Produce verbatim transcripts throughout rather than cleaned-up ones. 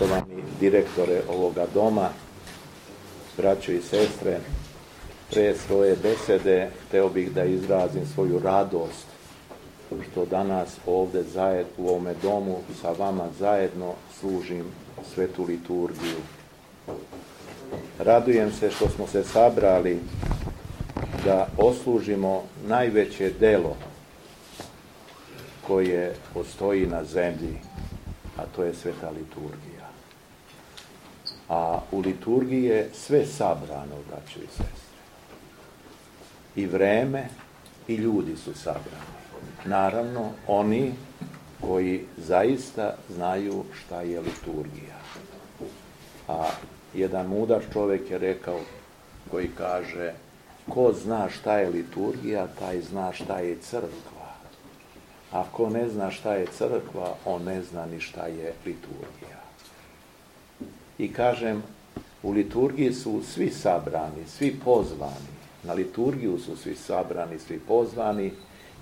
Poštovani direktore ovoga doma, braćo i sestre, pre svoje besede hteo bih da izrazim svoju radost što danas ovde zajedno u ovome domu sa vama zajedno služim svetu liturgiju. Radujem se što smo se sabrali da oslužimo najveće delo koje postoji na zemlji, a to je sveta liturgija. A u liturgiji je sve sabrano, braćo i sestre. I vreme i ljudi su sabrani. Naravno, oni koji zaista znaju šta je liturgija. A jedan mudar čovjek je rekao, koji kaže, ko zna šta je liturgija, taj zna šta je crkva. Ako ne zna šta je crkva, on ne zna ni šta je liturgija. I kažem, u liturgiji su svi sabrani, svi pozvani. Na liturgiju su svi sabrani, svi pozvani.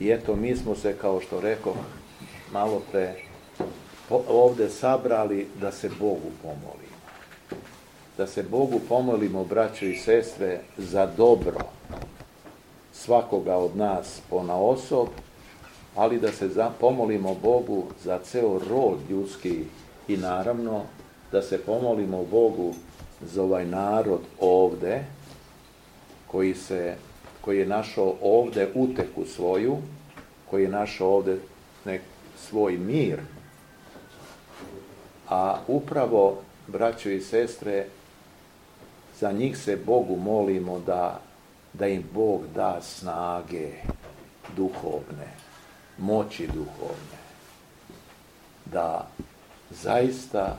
I eto, mi smo se, kao što rekao malo pre, ovde sabrali da se Bogu pomolimo. Da se Bogu pomolimo, braćo i sestre, za dobro svakoga od nas ponaosob, ali da se pomolimo Bogu za ceo rod ljudski i naravno da se pomolimo Bogu za ovaj narod ovde, koji, se, koji je našao ovde uteku svoju, koji je našao ovde nek svoj mir. A upravo, braćo i sestre, za njih se Bogu molimo da, da im Bog da snage duhovne, moći duhovne, da zaista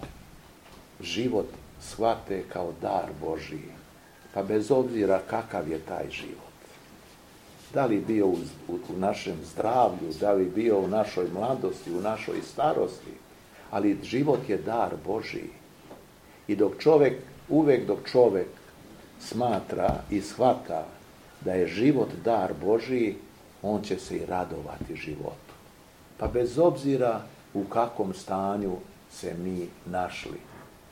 život shvate kao dar Božiji, pa bez obzira kakav je taj život. Da li bio u, u, u našem zdravlju, da li bio u našoj mladosti, u našoj starosti, ali život je dar Božiji. I dok čovjek, uvek dok čovjek smatra i shvata da je život dar Božiji, on će se i radovati životu. Pa bez obzira u kakvom stanju se mi našli,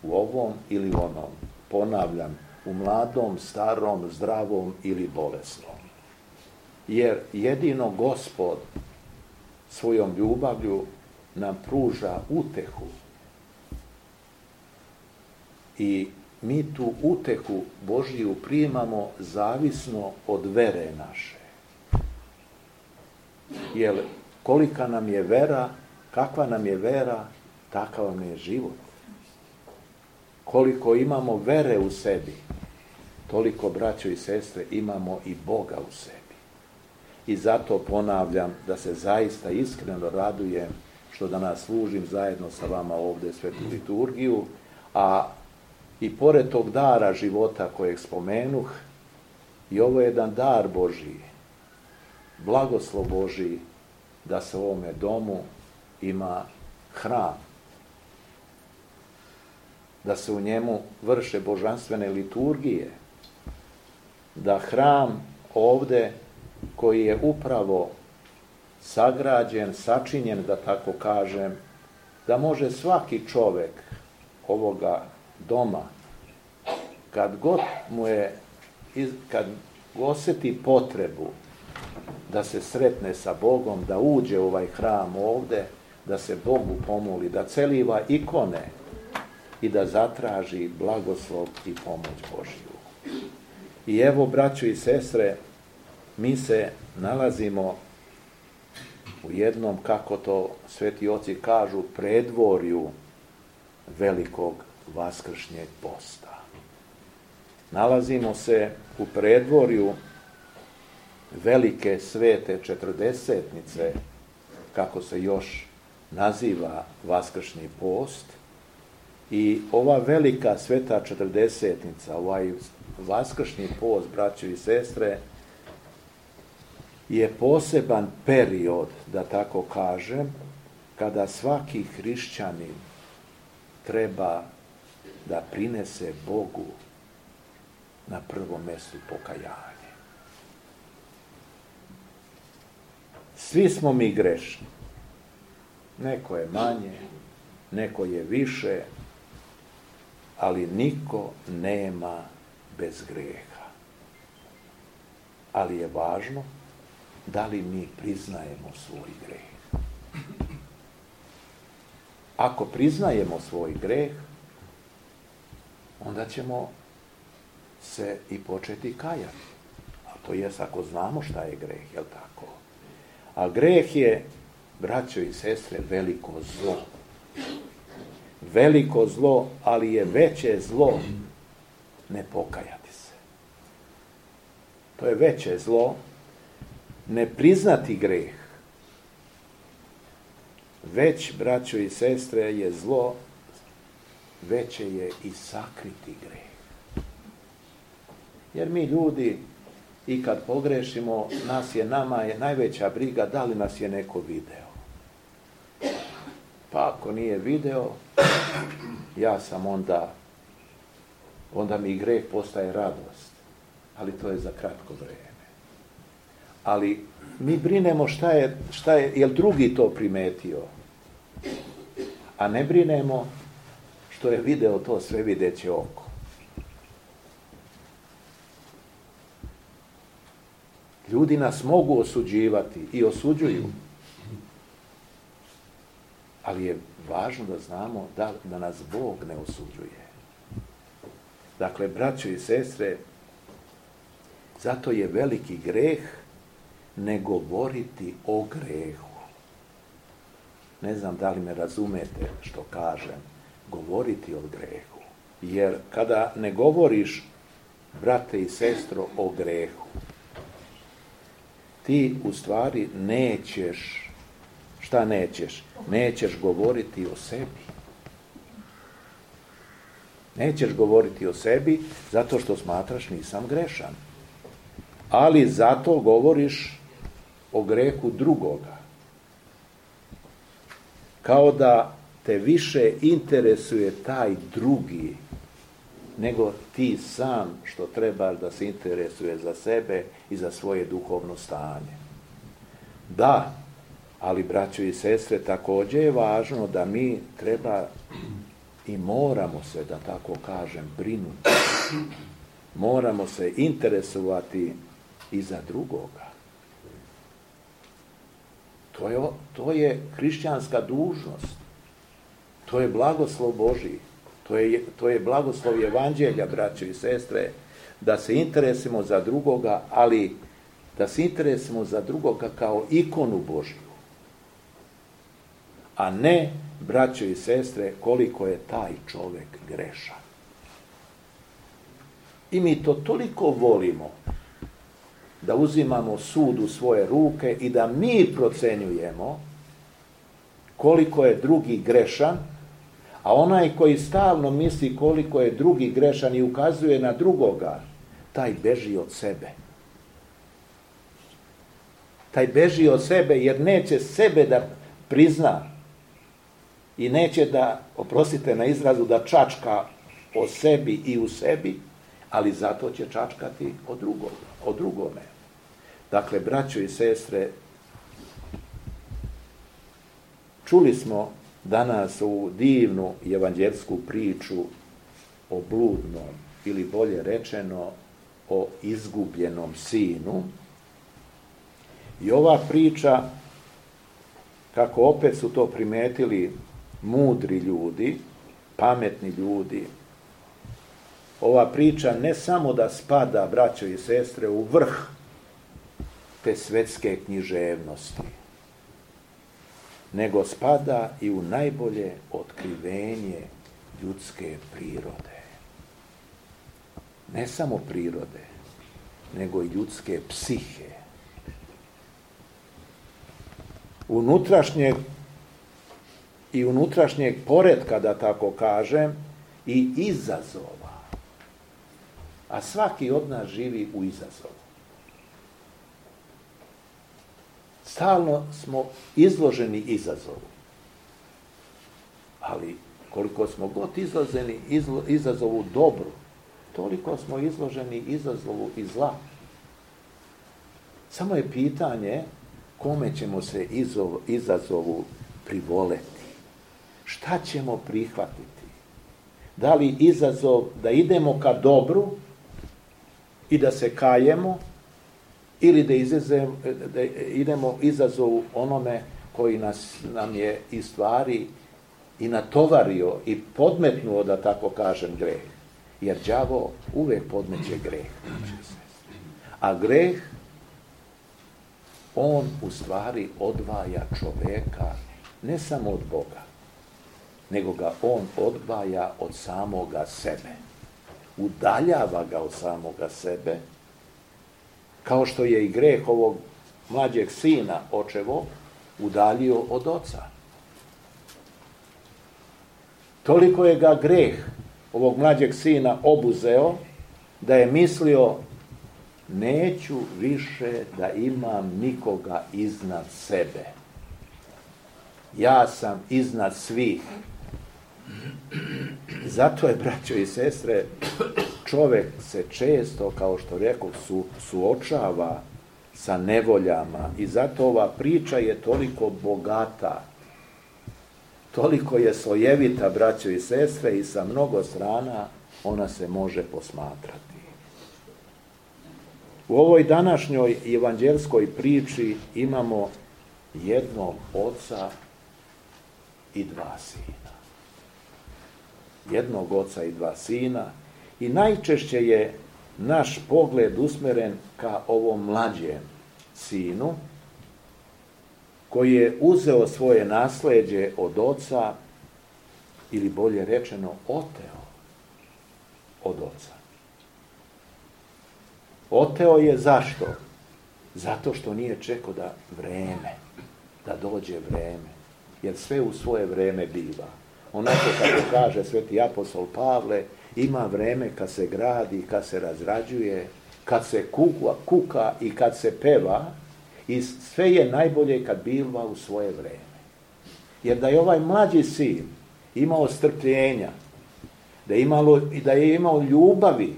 u ovom ili onom, ponavljam, u mladom, starom, zdravom ili bolesnom. Jer jedino Gospod svojom ljubavlju nam pruža utehu. I mi tu utehu Božiju primamo zavisno od vere naše. Jer kolika nam je vera, kakva nam je vera, takav nam je život. Koliko imamo vere u sebi, toliko, braćo i sestre, imamo i Boga u sebi. I zato ponavljam da se zaista iskreno radujem što danas služim zajedno sa vama ovdje svetu liturgiju, a i pored tog dara života kojeg spomenuh, i ovo je jedan dar Božiji, blagoslov Božiji, da se u ovome domu ima hram, da se u njemu vrše božanstvene liturgije, da hram ovde koji je upravo sagrađen, sačinjen, da tako kažem, da može svaki čovjek ovoga doma, kad god mu je, kad osjeti potrebu da se sretne sa Bogom, da uđe u ovaj hram ovde, da se Bogu pomoli, da celiva ikone i da zatraži blagoslov i pomoć Božju. I evo, braćo i sestre, mi se nalazimo u jednom, kako to sveti oci kažu, predvorju velikog vaskršnjeg posta. Nalazimo se u predvorju velike svete četrdesetnice, kako se još naziva vaskršnji post. I ova velika sveta četrdesetnica, ovaj vaskršnji post, braćo i sestre, je poseban period, da tako kažem, kada svaki hrišćanin treba da prinese Bogu na prvom mjestu pokajanje. Svi smo mi grešni. Neko je manje, neko je više, ali niko nema bez grijeha. Ali je važno da li mi priznajemo svoj grijeh. Ako priznajemo svoj grijeh, onda ćemo se i početi kajati. A to jest ako znamo šta je grijeh, jel tako? A grijeh je, braćo i sestre, veliko zlo. Veliko zlo, ali je veće zlo ne pokajati se. To je veće zlo ne priznati grijeh. Već, braćo i sestre, je zlo, veće je i sakriti grijeh. Jer mi ljudi, i kad pogrešimo, nas je, nama je najveća briga da li nas je neko video. Pa ako nije video, ja sam onda, onda mi grijeh postaje radost. Ali to je za kratko vrijeme. Ali mi brinemo šta je, šta je, jel drugi to primetio. A ne brinemo što je video to sve videće oko. Ljudi nas mogu osuđivati i osuđuju. Ali je važno da znamo da, da nas Bog ne osuđuje. Dakle, braćo i sestre, zato je veliki greh ne govoriti o grehu. Ne znam da li me razumete što kažem, govoriti o grehu. Jer kada ne govoriš, brate i sestro, o grehu, ti u stvari nećeš, šta nećeš? Nećeš govoriti o sebi. Nećeš govoriti o sebi zato što smatraš nisam grešan. Ali zato govoriš o grehu drugoga. Kao da te više interesuje taj drugi nego ti sam što trebaš da se interesuje za sebe i za svoje duhovno stanje. Da, ali braćo i sestre, također je važno da mi treba i moramo se, da tako kažem, brinuti. Moramo se interesovati i za drugoga. To je, to je hrišćanska dužnost. To je blagoslov Božji. To je, to je blagoslov evanđelja, braćo i sestre, da se interesimo za drugoga, ali da se interesimo za drugoga kao ikonu Božju. A ne, braćo i sestre, koliko je taj čovjek grešan. I mi to toliko volimo da uzimamo sud u svoje ruke i da mi procenjujemo koliko je drugi grešan, a onaj koji stalno misli koliko je drugi grešan i ukazuje na drugoga, taj beži od sebe. Taj beži od sebe jer neće sebe da prizna i neće da, oprostite na izrazu, da čačka o sebi i u sebi, ali zato će čačkati o drugom, o drugome. Dakle, braćo i sestre, čuli smo danas ovu divnu evanđelsku priču o bludnom, ili bolje rečeno, o izgubljenom sinu. I ova priča, kako opet su to primetili mudri ljudi, pametni ljudi, ova priča ne samo da spada, braćo i sestre, u vrh te svetske književnosti, nego spada i u najbolje otkrivenje ljudske prirode. Ne samo prirode, nego i ljudske psihe. Unutrašnjeg i unutrašnjeg poretka, da tako kažem, i izazova. A svaki od nas živi u izazovu. Stalno smo izloženi izazovu. Ali koliko smo god izloženi izlo, izazovu dobru, toliko smo izloženi izazovu i zla. Samo je pitanje kome ćemo se izov, izazovu privoleti. Šta ćemo prihvatiti? Da li izazov da idemo ka dobru i da se kajemo, ili da, izazem, da idemo izazovu onome koji nas, nam je i stvari i natovario i podmetnuo, da tako kažem, greh. Jer đavo uvek podmeće greh. A greh, on u stvari odvaja čoveka ne samo od Boga, nego ga on odvaja od samoga sebe. Udaljava ga od samoga sebe, kao što je i greh ovog mlađeg sina očevog udaljio od oca. Toliko je ga greh ovog mlađeg sina obuzeo, da je mislio, neću više da imam nikoga iznad sebe. Ja sam iznad svih. Zato je, braćo i sestre, čovek se često, kao što rekao, su, suočava sa nevoljama i zato ova priča je toliko bogata, toliko je slojevita, braćo i sestre, i sa mnogo strana ona se može posmatrati. U ovoj današnjoj evanđelskoj priči imamo jednog oca i dva sina. Jednog oca i dva sina i najčešće je naš pogled usmeren ka ovom mlađem sinu koji je uzeo svoje nasleđe od oca, ili bolje rečeno oteo od oca. Oteo je zašto? Zato što nije čekao da vreme, da dođe vreme, jer sve u svoje vreme biva. Onako kako kaže sveti apostol Pavle, ima vreme kad se gradi, kad se razrađuje, kad se kuka, kuka i kad se peva, i sve je najbolje kad biva u svoje vreme. Jer da je ovaj mlađi sin imao strpljenja, da je, imalo, da je imao ljubavi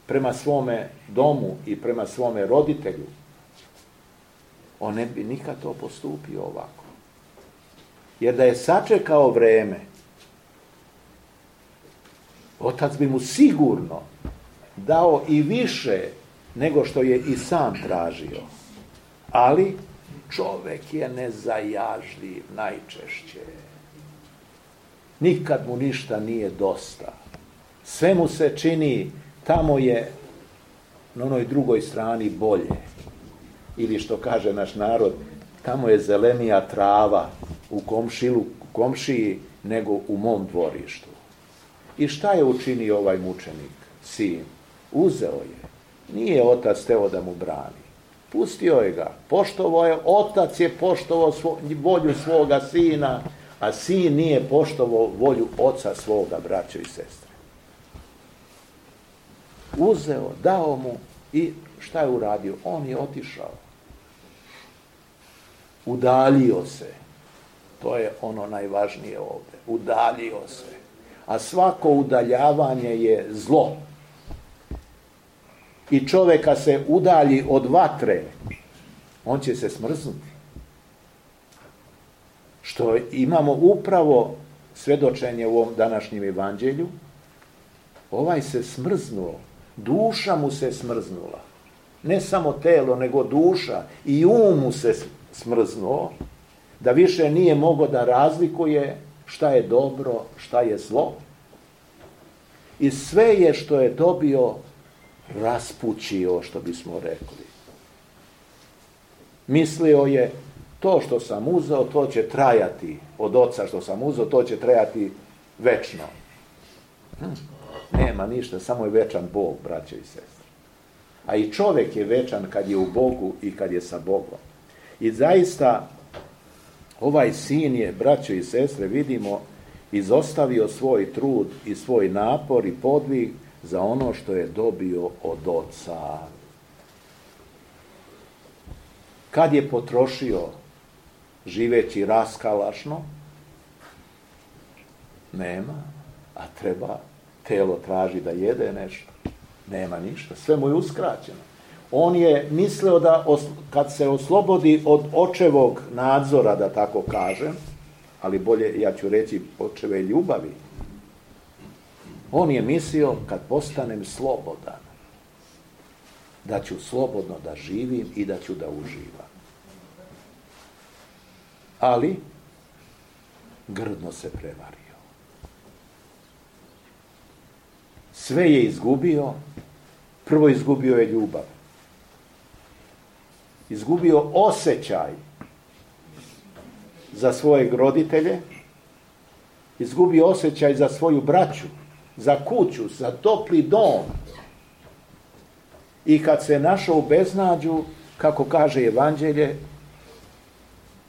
prema svome domu i prema svome roditelju, on ne bi nikad to postupio ovako. Jer da je sačekao vreme, otac bi mu sigurno dao i više nego što je i sam tražio. Ali čovek je nezajažljiv najčešće. Nikad mu ništa nije dosta. Sve mu se čini, tamo je na onoj drugoj strani bolje. Ili što kaže naš narod, tamo je zelenija trava u komšilu, komšiji nego u mom dvorištu. I šta je učinio ovaj mučenik, sin? Uzeo je. Nije otac teo da mu brani. Pustio je ga. Poštovao je, otac je poštovao svo, volju svoga sina, a sin nije poštovao volju oca svoga, braćo i sestre. Uzeo, dao mu i šta je uradio? On je otišao. Udaljio se. To je ono najvažnije ovdje. Udaljio se. A svako udaljavanje je zlo. I čovjeka se udalji od vatre, on će se smrznuti. Što imamo upravo svedočenje u ovom današnjem evanđelju, ovaj se smrznuo, duša mu se smrznula. Ne samo telo, nego duša i um mu se smrznuo, da više nije mogao da razlikuje šta je dobro, šta je zlo. I sve je što je dobio raspućio, što bismo rekli. Mislio je, to što sam uzeo, to će trajati, od oca što sam uzeo, to će trajati večno. Hm. Nema ništa, samo je večan Bog, braće i sestre. A i čovjek je večan kad je u Bogu i kad je sa Bogom. I zaista, ovaj sin je, braćo i sestre, vidimo, izostavio svoj trud i svoj napor i podvig za ono što je dobio od oca. Kad je potrošio živeći raskalašno? Nema, a treba, telo traži da jede nešto. Nema ništa, sve mu je uskraćeno. On je mislio da kad se oslobodi od očevog nadzora, da tako kažem, ali bolje, ja ću reći, očeve ljubavi, On je mislio, kad postanem slobodan, da ću slobodno da živim i da ću da uživam. Ali grdno se prevario. Sve je izgubio. Prvo izgubio je ljubav. Izgubio osjećaj za svoje roditelje, izgubio osjećaj za svoju braću, za kuću, za topli dom. I kad se našao u beznađu, kako kaže Evanđelje,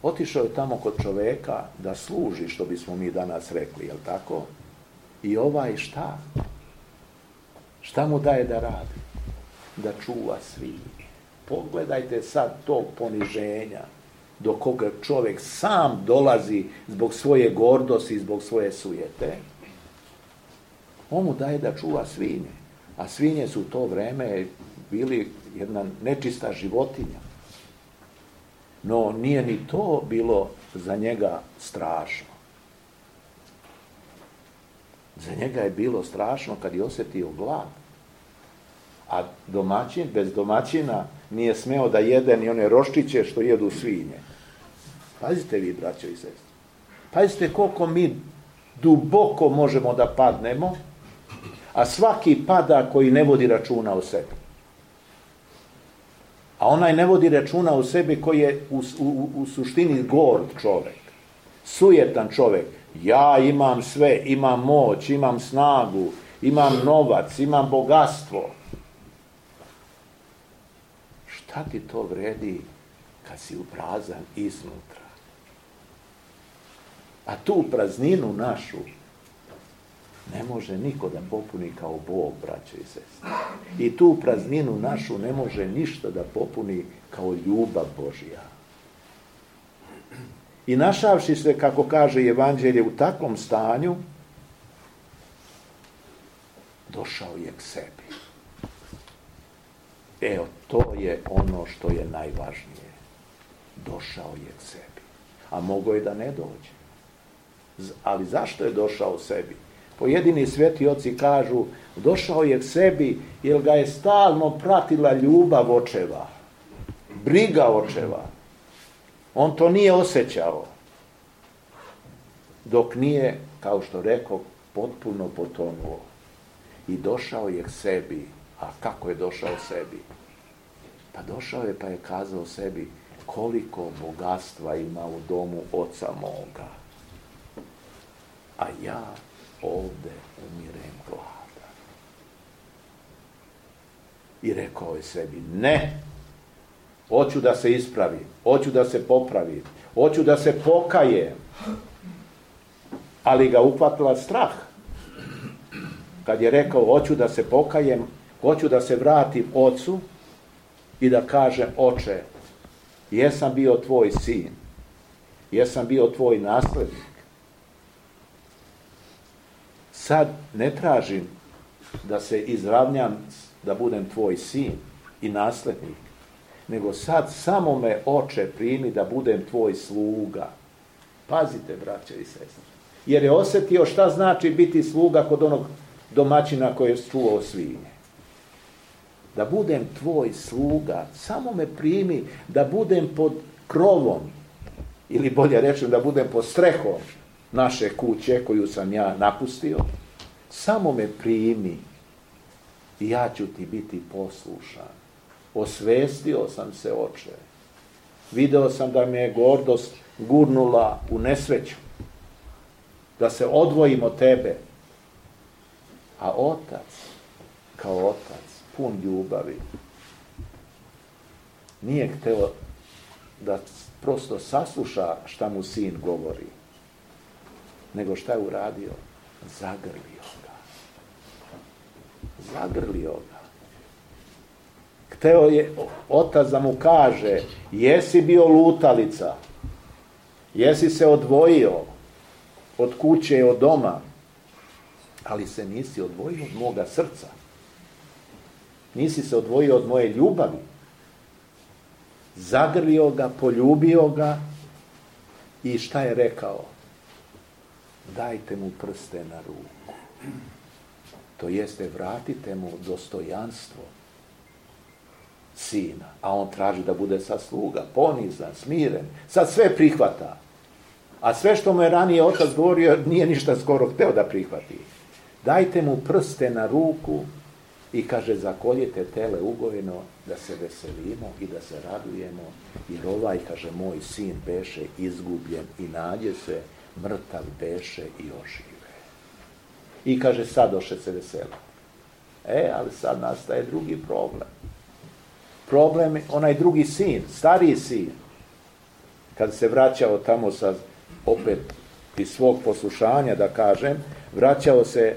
otišao je tamo kod čoveka da služi, što bismo mi danas rekli, jel tako? I ovaj šta? Šta mu daje da radi? Da čuva svinje. Pogledajte sad tog poniženja do koga čovjek sam dolazi zbog svoje gordosti, zbog svoje sujete. On mu daje da čuva svinje. A svinje su u to vreme bili jedna nečista životinja. No nije ni to bilo za njega strašno. Za njega je bilo strašno kad je osjetio glad. A domaćin, bez domaćina, nije smeo da jede ni one roščiće što jedu svinje. Pazite vi, braćo i sestre. Pazite koliko mi duboko možemo da padnemo, a svaki pada koji ne vodi računa o sebi. A onaj ne vodi računa o sebi koji je u, u, u suštini gord čovjek. Sujetan čovjek. Ja imam sve, imam moć, imam snagu, imam novac, imam bogatstvo. Šta ti to vredi kad si uprazan iznutra? A tu prazninu našu ne može niko da popuni kao Bog, braćo i sestre. I tu prazninu našu ne može ništa da popuni kao ljubav Božja. I našavši se, kako kaže Evanđelje, u takvom stanju, došao je k sebi. Evo, to je ono što je najvažnije. Došao je k sebi. A mogao je da ne dođe. Ali zašto je došao sebi? Pojedini sveti oci kažu, došao je k sebi jer ga je stalno pratila ljubav očeva, briga očeva. On to nije osjećao, dok nije, kao što rekao, potpuno potonuo. I došao je k sebi. A kako je došao sebi? Pa došao je pa je kazao sebi, koliko bogatstva ima u domu oca moga. A ja ovdje umirem gladan. I rekao je sebi, ne, hoću da se ispravi, hoću da se popravi, hoću da se pokajem. Ali ga uhvatila strah. Kad je rekao, hoću da se pokajem, hoću da se vratim ocu i da kažem, oče, jesam bio tvoj sin, jesam bio tvoj naslednik. Sad ne tražim da se izravnjam da budem tvoj sin i naslednik, nego sad samo me, oče, primi da budem tvoj sluga. Pazite, braćo i sestre. Jer je osjetio šta znači biti sluga kod onog domaćina koji je čuvao svinje. Da budem tvoj sluga, samo me primi da budem pod krovom, ili bolje rečem da budem pod strehom naše kuće koju sam ja napustio. Samo me primi i ja ću ti biti poslušan. Osvestio sam se, oče. Video sam da me je gordost gurnula u nesreću. Da se odvojim od tebe. A otac, kao otac, pun ljubavi, nije hteo da prosto sasluša šta mu sin govori, nego šta je uradio? Zagrlio ga. Zagrlio ga. Hteo je otac da mu kaže, jesi bio lutalica, jesi se odvojio od kuće i od doma, ali se nisi odvojio od moga srca. Nisi se odvojio od moje ljubavi. Zagrlio ga, poljubio ga i šta je rekao? Dajte mu prste na ruku. To jeste, vratite mu dostojanstvo sina, a on traži da bude sa sluga, ponizan, smiren, sad sve prihvata. A sve što mu je ranije otac govorio, nije ništa skoro hteo da prihvati. Dajte mu prste na ruku i kaže, zakoljite tele ugojeno, da se veselimo i da se radujemo, jer ovaj, kaže, moj sin beše izgubljen i nađe se, mrtav beše i ožive. I kaže, sad doše se veselo. E, ali sad nastaje drugi problem. Problem je onaj drugi sin, stariji sin, kad se vraćao tamo sa, opet iz svog poslušanja, da kažem, vraćao se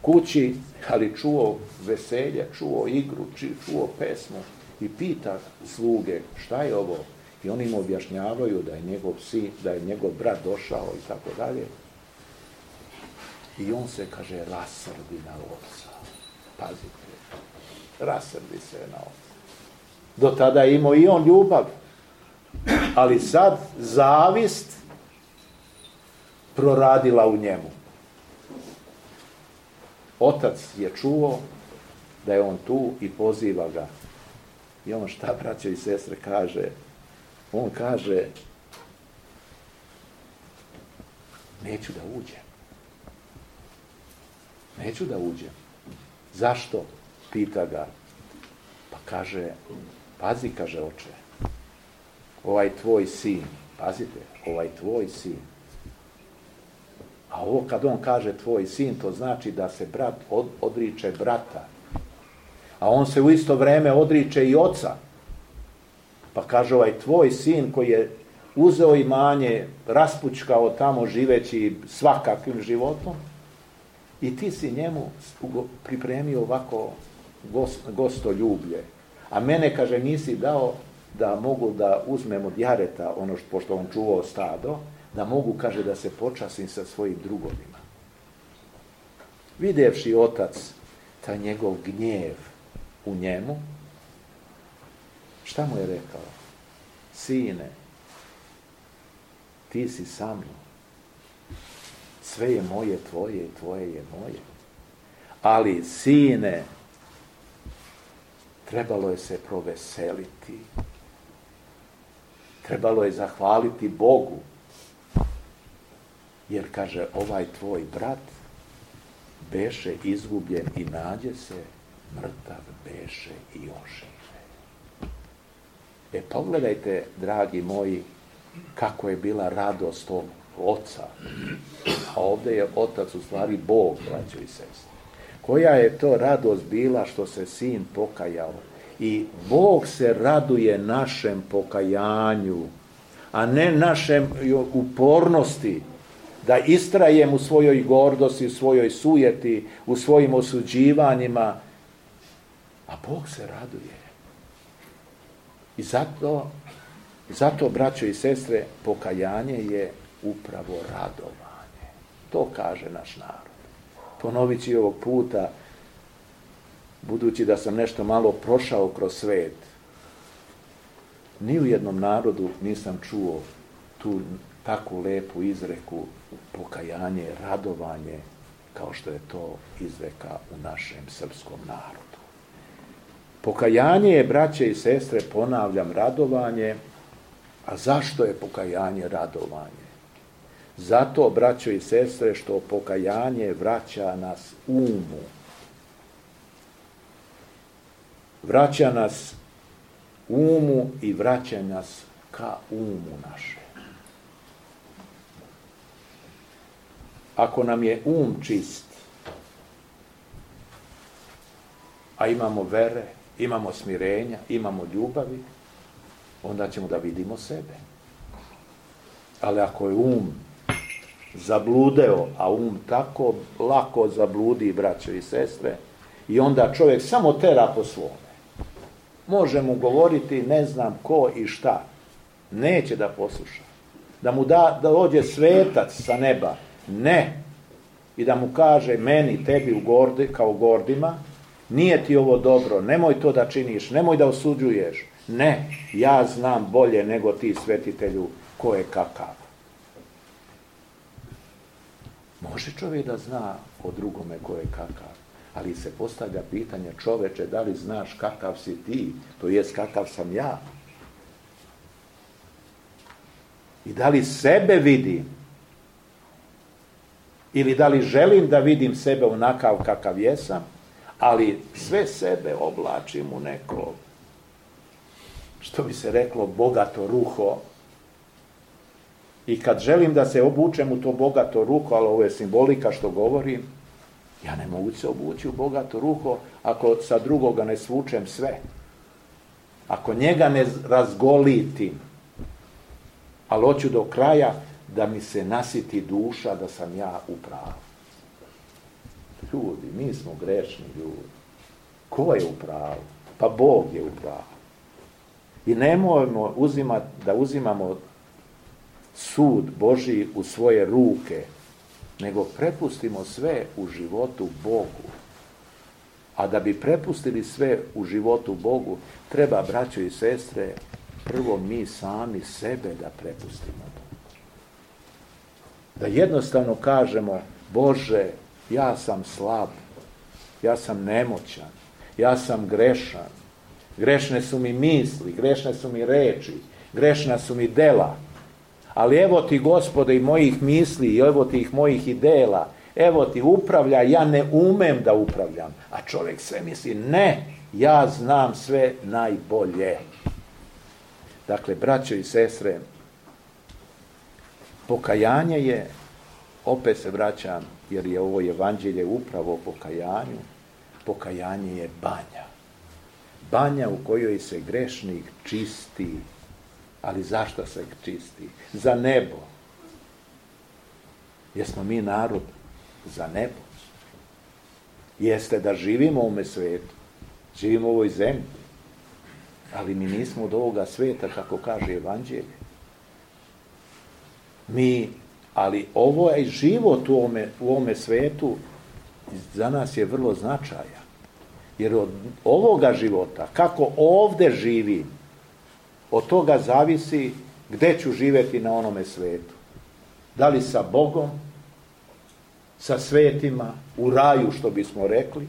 kući, ali čuo veselje, čuo igru, čuo pesmu i pita sluge, šta je ovo? I oni mu objašnjavaju da je njegov sin, da je njegov brat došao i tako dalje. I on se, kaže, rasrdi na oca. Pazite, rasrdi se na oca. Do tada je imao i on ljubav, ali sad zavist proradila u njemu. Otac je čuo da je on tu i poziva ga. I on šta, braćo i sestre, kaže? On kaže, neću da uđem. Neću da uđem. Zašto? Pita ga. Pa kaže, pazi, kaže oče, ovaj tvoj sin, pazite, ovaj tvoj sin. A ovo kad on kaže tvoj sin, to znači da se brat od, odriče brata. A on se u isto vrijeme odriče i oca. Pa kaže, ovaj tvoj sin koji je uzeo imanje, raspučkao tamo živeći svakakvim životom, i ti si njemu pripremio ovako gost, gostoljublje. A mene, kaže, nisi dao da mogu da uzmem od jareta, ono što, pošto on čuvao stado, da mogu, kaže, da se počasim sa svojim drugovima. Vidjevši otac taj njegov gnjev u njemu, šta mu je rekao? Sine, ti si sa mnom. Sve je moje tvoje i tvoje je moje. Ali, sine, trebalo je se proveseliti. Trebalo je zahvaliti Bogu. Jer, kaže, ovaj tvoj brat beše izgubljen i nađe se, mrtav beše i ožive. E, pogledajte, dragi moji, kako je bila radost tog oca. A ovdje je otac u stvari Bog, braćo i sestre. Koja je to radost bila što se sin pokajao. I Bog se raduje našem pokajanju, a ne našem upornosti, da istrajem u svojoj gordosti, u svojoj sujeti, u svojim osuđivanjima. A Bog se raduje. I zato, zato, braćo i sestre, pokajanje je upravo radovanje. To kaže naš narod. Ponovit ću ovog puta, budući da sam nešto malo prošao kroz svet, ni u jednom narodu nisam čuo tu takvu lepu izreku pokajanje, radovanje, kao što je to izreka u našem srpskom narodu. Pokajanje je, braće i sestre, ponavljam, radovanje. A zašto je pokajanje radovanje? Zato, braćo i sestre, što pokajanje vraća nas umu. Vraća nas umu i vraća nas ka umu naše. Ako nam je um čist, a imamo vere, imamo smirenja, imamo ljubavi, onda ćemo da vidimo sebe. Ali ako je um zabludeo, a um tako lako zabludi, braćo i sestre, i onda čovjek samo tera po svome. Može mu govoriti ne znam ko i šta. Neće da posluša. Da mu da, da dođe svetac sa neba. Ne. I da mu kaže meni, tebi u gordi, kao gordima, nije ti ovo dobro, nemoj to da činiš, nemoj da osuđuješ. Ne, ja znam bolje nego ti, svetitelju, ko je kakav. Može čovjek da zna o drugome ko je kakav, Ali se postavlja pitanje, čoveče, da li znaš kakav si ti, to jest kakav sam ja? I da li sebe vidim? Ili da li želim da vidim sebe onakav kakav jesam, ali sve sebe oblačim u neko, što bi se reklo, bogato ruho. I kad želim da se obučem u to bogato ruho, ali ovo je simbolika što govorim, ja ne mogu se obući u bogato ruho ako sa drugoga ne svučem sve. Ako njega ne razgolitim, ali hoću do kraja da mi se nasiti duša da sam ja u pravu. Ljudi, mi smo grešni ljudi. Ko je u pravu? Pa Bog je u pravu. I nemojmo uzimati, da uzimamo sud Božji u svoje ruke, nego prepustimo sve u životu Bogu. A da bi prepustili sve u životu Bogu, treba, braćo i sestre, prvo mi sami sebe da prepustimo. Da jednostavno kažemo, Bože, ja sam slab, ja sam nemoćan, ja sam grešan, grešne su mi misli, grešne su mi reči, grešna su mi dela, ali evo ti, Gospode, i mojih misli, i evo ti ih mojih i dela, evo ti upravlja, ja ne umem da upravljam, a čovjek sve misli, ne, ja znam sve najbolje. Dakle, braćo i sestre, pokajanje je, opet se vraćam, jer je ovo evanđelje upravo o pokajanju, pokajanje je banja. Banja u kojoj se grešnik čisti. Ali zašto se čisti? Za nebo. Jesmo mi narod za nebo? Jeste da živimo u ovome svijetu, živimo u ovoj zemlji, ali mi nismo od ovoga svijeta, kako kaže evanđelje. Mi, ali ovo je život u ovome, u ovome svijetu za nas je vrlo značajan. Jer od ovoga života, kako ovdje živim, od toga zavisi gdje ću živjeti na onome svijetu. Da li sa Bogom, sa svetima, u raju, što bismo rekli,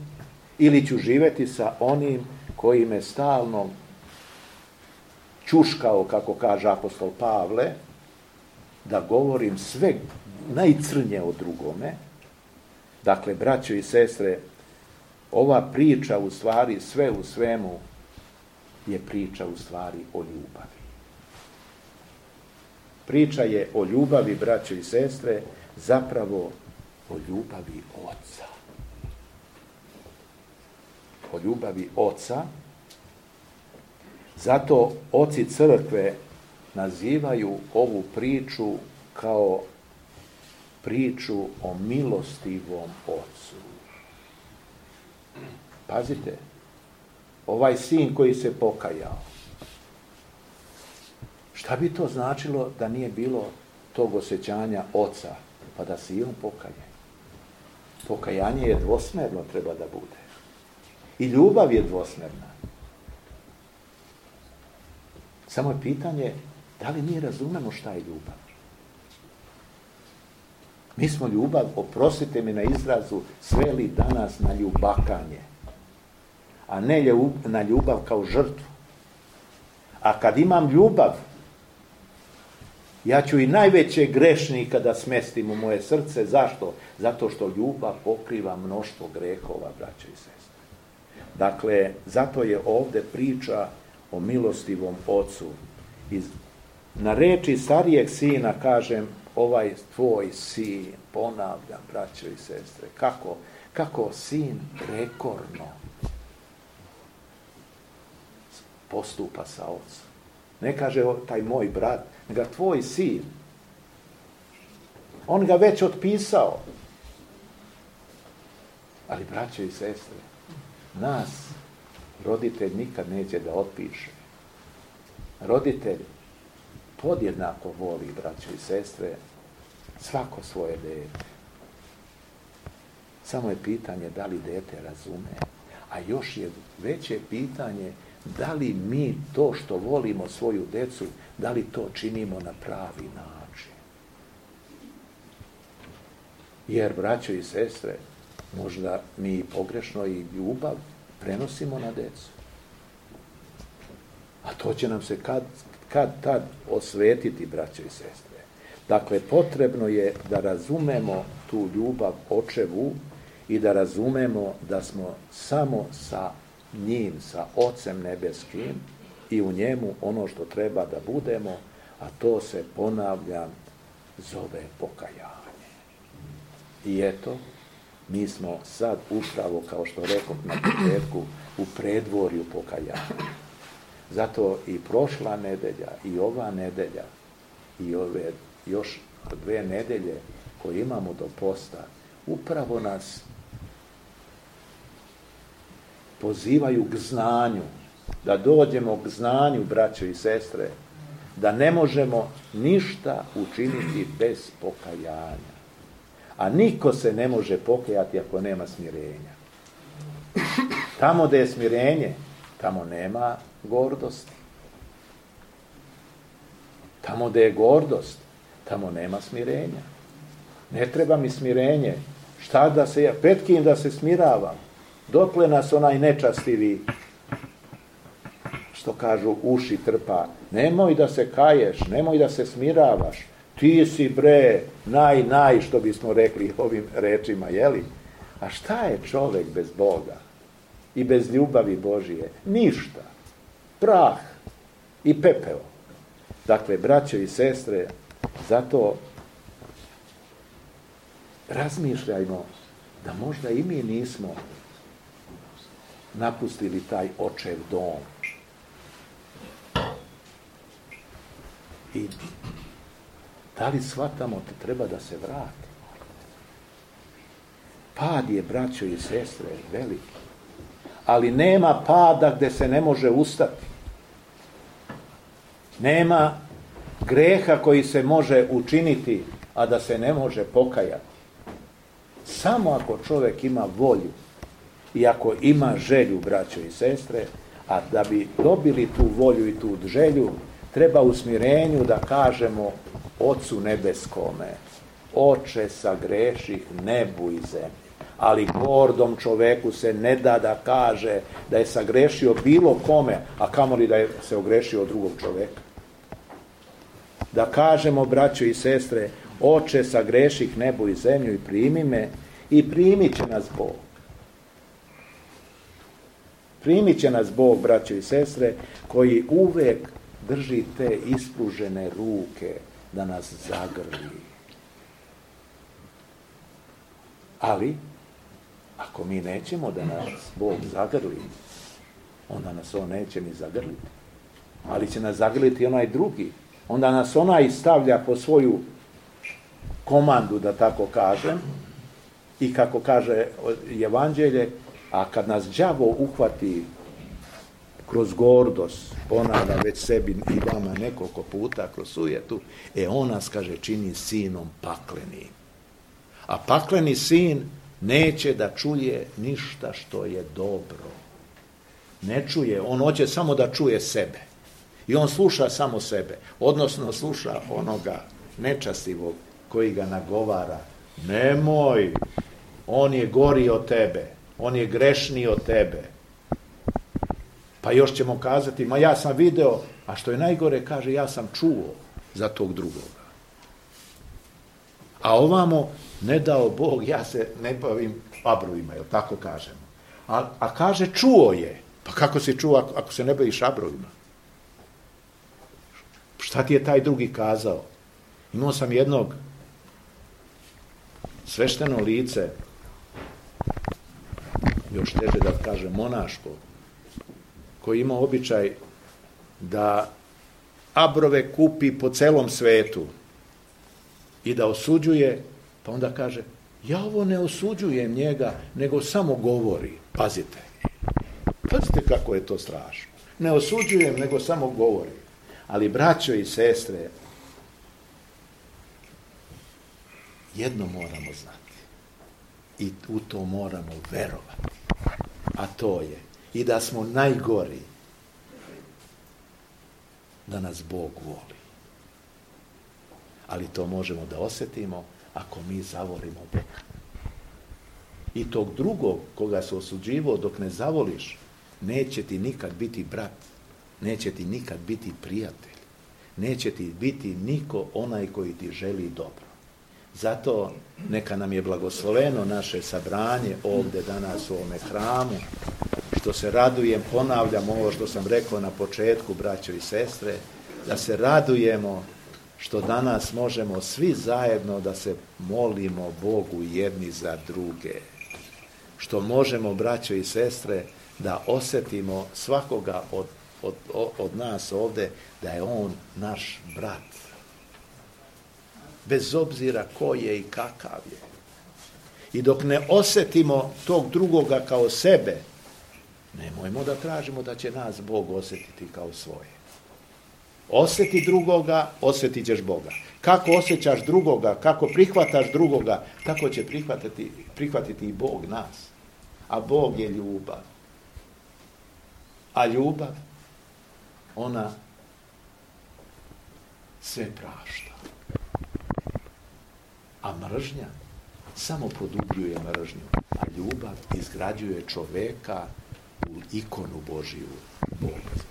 ili ću živjeti sa onim koji me stalno čuškao, kako kaže apostol Pavle, da govorim sve najcrnje o drugome. Dakle, braćo i sestre, ova priča u stvari, sve u svemu, je priča u stvari o ljubavi. Priča je o ljubavi, braćo i sestre, zapravo o ljubavi Oca. O ljubavi Oca. Zato oci crkve nazivaju ovu priču kao priču o milostivom Ocu. Pazite, ovaj sin koji se pokajao, šta bi to značilo da nije bilo tog osjećanja Oca, pa da se i on pokaje? Pokajanje je dvosmerno, treba da bude. I ljubav je dvosmerna. Samo je pitanje, da li mi razumemo šta je ljubav? Mi smo ljubav, oprostite mi na izrazu, sveli danas na ljubakanje, a ne na ljubav kao žrtvu. A kad imam ljubav, ja ću i najveće grešnika da smestim u moje srce. Zašto? Zato što ljubav pokriva mnoštvo grehova, braćo i sestre. Dakle, zato je ovdje priča o milostivom Ocu. I na reči starijeg sina kažem, ovaj tvoj sin, ponavljam, braćo i sestre, kako, kako sin prekorno postupa sa Ocem. Ne kaže taj moj brat, nego tvoj sin. On ga već otpisao. Ali, braćo i sestre, nas roditelj nikad neće da otpiše. Roditelj podjednako voli, braćo i sestre, svako svoje dete. Samo je pitanje da li dete razume. A još je veće pitanje da li mi to što volimo svoju decu, da li to činimo na pravi način. Jer, braćo i sestre, Možda mi pogrešno i ljubav prenosimo na decu. A to će nam se kad, kad tad osvetiti, braćo i sestre. Dakle, potrebno je da razumemo tu ljubav očevu i da razumemo da smo samo sa njim, sa Ocem nebeskim i u njemu ono što treba da budemo, a to se, ponavljam, zove pokajanje. I eto, mi smo sad upravo, kao što rekao na početku, u predvorju pokajanja. Zato i prošla nedelja, i ova nedelja, i ove još dve nedelje koje imamo do posta, upravo nas pozivaju k znanju, da dođemo k znanju, braćo i sestre, da ne možemo ništa učiniti bez pokajanja. A niko se ne može pokajati ako nema smirenja. Tamo gdje je smirenje, tamo nema gordosti. Tamo gdje je gordost, tamo nema smirenja. Ne treba mi smirenje. Šta da se ja, pred kim da se smiravam? Dokle nas onaj nečastivi, što kažu, uši trpa. Nemoj da se kaješ, nemoj da se smiravaš. Ti si, bre, naj, naj, što bismo rekli ovim rečima, jeli? A šta je čovjek bez Boga i bez ljubavi Božije? Ništa. Prah i pepeo. Dakle, braćo i sestre, zato razmišljajmo da možda i mi nismo napustili taj očev dom. I da li shvatamo da treba da se vrati? Pad je, braćo i sestre, veliki. Ali nema pada gdje se ne može ustati. Nema greha koji se može učiniti, a da se ne može pokajati. Samo ako čovjek ima volju i ako ima želju, braćo i sestre, a da bi dobili tu volju i tu želju, treba u smirenju da kažemo Ocu nebeskome, Oče, sagreših nebu i zemlji. Ali gordom čoveku se ne da da kaže da je sagrešio bilo kome, a kamoli da je se ogrešio od drugog čoveka. Da kažemo, braćo i sestre, Oče, sagreših nebu i zemlju i primi me, i primit će nas Bog. Primit će nas Bog, braćo i sestre, koji uvek drži te ispružene ruke da nas zagrli. Ali, ako mi nećemo da nas Bog zagrli, onda nas On neće ni zagrliti. Ali će nas zagrliti onaj drugi. Onda nas onaj stavlja po svoju komandu, da tako kažem, i kako kaže Evanđelje, a kad nas đavo uhvati kroz gordost, ponavlja već sebi i vama nekoliko puta kroz sujetu, e on nas, kaže, čini sinom paklenim. A pakleni sin neće da čuje ništa što je dobro. Ne čuje, on hoće samo da čuje sebe. I on sluša samo sebe, odnosno sluša onoga nečastivog koji ga nagovara. Nemoj, on je gori od tebe, on je grešniji od tebe. Pa još ćemo kazati, ma ja sam video, a što je najgore, kaže, ja sam čuo za tog drugoga. A ovamo, ne dao Bog, ja se ne bavim abrovima, jel tako kažemo. A, a kaže, čuo je. Pa kako se čuo ako, ako se ne baviš abrovima? Šta ti je taj drugi kazao? Imao sam jednog svešteno lice, još teže da kažem monaško, koji ima običaj da abrove kupi po celom svetu i da osuđuje, pa onda kaže, ja ovo ne osuđujem njega, nego samo govori. Pazite. Pazite kako je to strašno. Ne osuđujem, nego samo govori. Ali, braćo i sestre, jedno moramo znati. I u to moramo verovati. A to je i da smo najgori, da nas Bog voli. Ali to možemo da osjetimo ako mi zavolimo Boga. I tog drugog koga se osuđivao dok ne zavoliš, neće ti nikad biti brat, neće ti nikad biti prijatelj, neće ti biti niko onaj koji ti želi dobro. Zato neka nam je blagosloveno naše sabranje ovdje danas u ovome hramu, što se radujem, ponavljam ovo što sam rekao na početku, braćo i sestre, da se radujemo što danas možemo svi zajedno da se molimo Bogu jedni za druge. Što možemo, braćo i sestre, da osjetimo svakoga od, od, od nas ovdje da je on naš brat. Bez obzira ko je i kakav je. I dok ne osjetimo tog drugoga kao sebe, nemojmo da tražimo da će nas Bog osjetiti kao svoje. Osjeti drugoga, osjetit ćeš Boga. Kako osjećaš drugoga, kako prihvataš drugoga, tako će prihvatiti, prihvatiti i Bog nas. A Bog je ljubav. A ljubav, ona sve prašta. A mržnja samo produbljuje mržnju. A ljubav izgrađuje čoveka u ikonu Božiju. Boga.